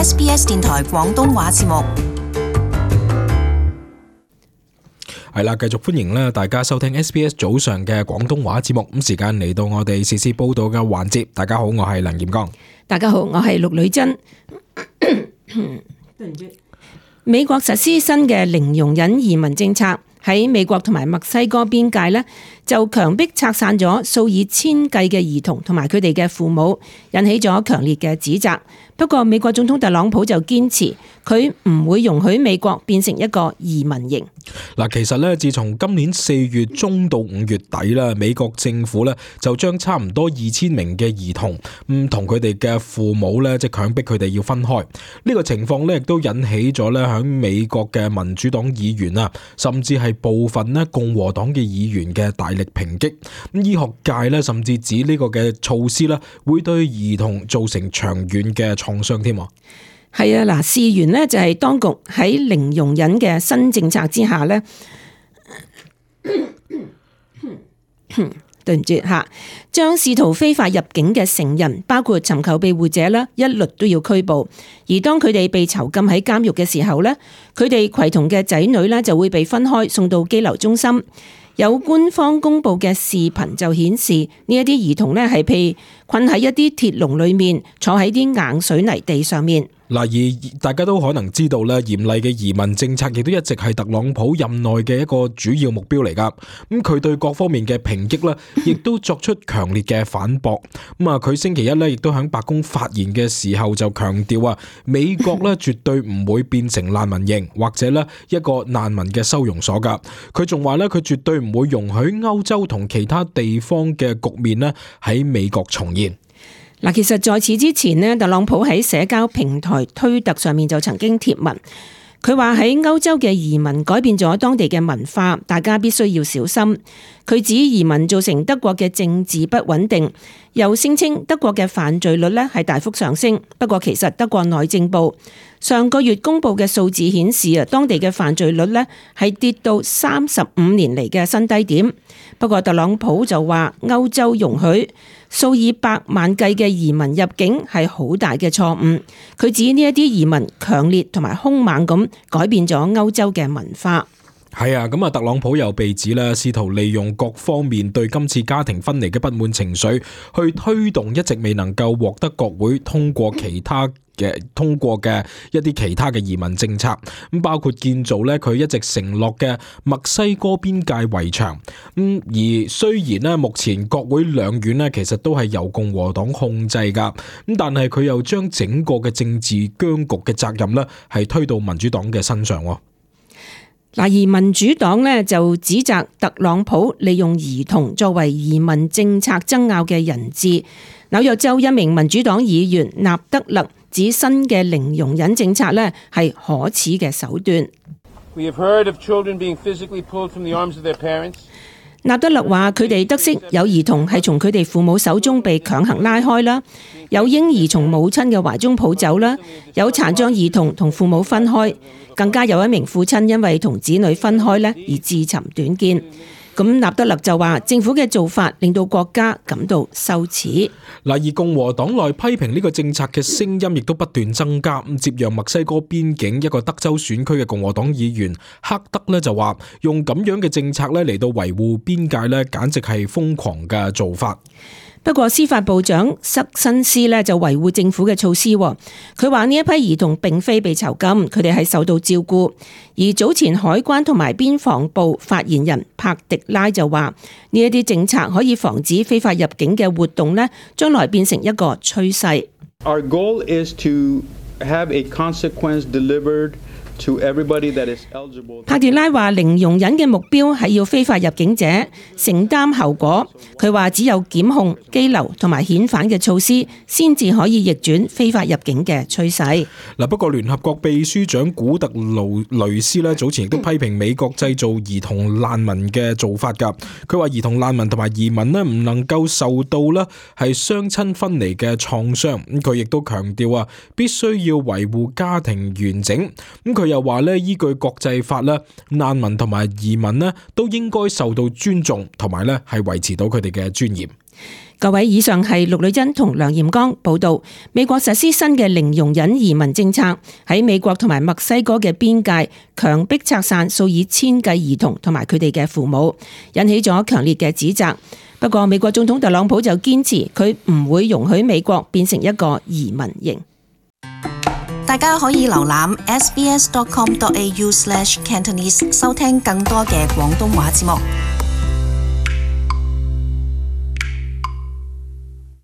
SBS 電台廣東話節目。係啦，繼續歡迎大家收聽 SBS 早上嘅廣東話節目。咁時間嚟到我哋時事報道嘅環節。大家好，我係梁炎剛。大家好，我係陸女珍。美國實施新嘅零容忍移民政策，喺美國同埋墨西哥邊界呢，就強迫拆散咗數以千計嘅兒童同埋佢哋嘅父母，引起咗強烈嘅指責。不過美國總統特朗普就堅持佢唔會容許美國變成一個移民營。其實咧，自從今年4月中到5月底啦，美國政府咧就將差唔多2000名嘅兒童同佢哋嘅父母咧，即係強迫佢哋要分開。呢個情況咧，亦都引起咗咧響美國嘅民主黨議員啊，甚至係部分咧共和黨嘅議員嘅大力抨擊。咁醫學界咧，甚至指呢個嘅措施咧，會對兒童造成長遠嘅創傷添。係啊，嗱，事緣呢就係當局喺零容忍嘅新政策之下呢，對唔住吓，將試圖非法入境嘅成人，包括尋求庇護者啦，一律都要拘捕。而當佢哋被囚禁喺監獄嘅時候呢，佢哋攜同嘅仔女呢就會被分開送到羈留中心。有官方公布嘅視頻就顯示，呢一啲兒童呢係被困喺一啲鐵籠裏面，坐喺啲硬水泥地上面。而大家都可能知道咧，嚴厲嘅移民政策亦都一直係特朗普任內嘅一個主要目標嚟噶。咁佢對各方面嘅抨擊咧，亦都作出強烈嘅反駁。佢星期一咧，亦都喺白宮發言嘅時候就強調啊，美國咧絕對唔會變成難民營或者咧一個難民嘅收容所噶。佢仲話咧，佢絕對唔會容許歐洲同其他地方嘅局面咧喺美國重現。嗱，其實在此之前呢，特朗普喺社交平台推特上面就曾經貼文，佢話喺歐洲嘅移民改變咗當地嘅文化，大家必須要小心。佢指移民造成德國嘅政治不穩定，又聲稱德國嘅犯罪率呢係大幅上升。不過其實德國內政部上個月公布嘅數字顯示啊，當地嘅犯罪率呢係跌到35年嚟嘅新低點。不過特朗普就話歐洲容許數以百萬計嘅移民入境係好大嘅錯誤。佢指呢一啲移民強烈同埋兇猛咁改變咗歐洲嘅文化。係啊，咁特朗普又被指咧，試圖利用各方面對今次家庭分離嘅不滿情緒，去推動一直未能夠獲得國會通過嘅一啲其他嘅移民政策，咁包括建造咧佢一直承諾嘅墨西哥邊界圍牆。而雖然咧目前國會兩院咧其實都係由共和黨控制噶，咁但係佢又將整個嘅政治僵局嘅責任咧係推到民主黨嘅身上。而民主黨呢就指責特朗普利用兒童作為移民政策爭拗嘅人質。紐約州一名民主黨議員納德勒指新嘅零容忍政策呢係可恥嘅手段。納德勒話佢哋得悉有兒童係從佢哋父母手中被強行拉開啦，有嬰兒從母親嘅懷中抱走啦，有殘障兒童同父母分開，更加有一名父親因為同子女分開咧而自尋短見。咁納德勒就話政府嘅做法令到國家感到羞恥。而共和黨內批評呢個政策嘅聲音亦都不斷增加。接壤墨西哥邊境一個德州選區嘅共和黨議員克德咧就話，用咁樣嘅政策咧嚟到維護邊界咧，簡直係瘋狂嘅做法。不過司法部長塞申斯呢就維護政府嘅措施，佢話呢一批兒童並非被囚禁，佢哋係受到照顧。而早前海關同埋邊防部發言人帕迪拉就話，呢一啲政策可以防止非法入境嘅活動呢將來變成一個趨勢。Our goal is to have a consequence delivered to everybody that is eligible. 帕迪拉話零容忍嘅目標係要非法入境者承擔後果。佢話只有檢控、羈留同埋遣返嘅措施，先至可以逆轉非法入境嘅趨勢。不過聯合國秘書長古特雷斯早前亦都批評美國製造兒童難民嘅做法㗎。佢話兒童難民同埋移民唔能夠受到係雙親分離嘅創傷。佢亦都強調必須要維護家庭完整。佢又話依據國際法難民同埋移民都應該受到尊重，同埋係維持到佢哋嘅尊嚴。各位，以上係陸女珍同梁艷剛報道。美國實施新嘅零容忍移民政策，喺美國同埋墨西哥嘅邊界強迫拆散數以千計兒童同埋佢哋嘅父母，引起咗強烈嘅指責。不過，美國總統特朗普就堅持佢唔會容許美國變成一個移民營。大家可以瀏覽 sbs.com.au/cantonese 收聽更多嘅廣東話節目。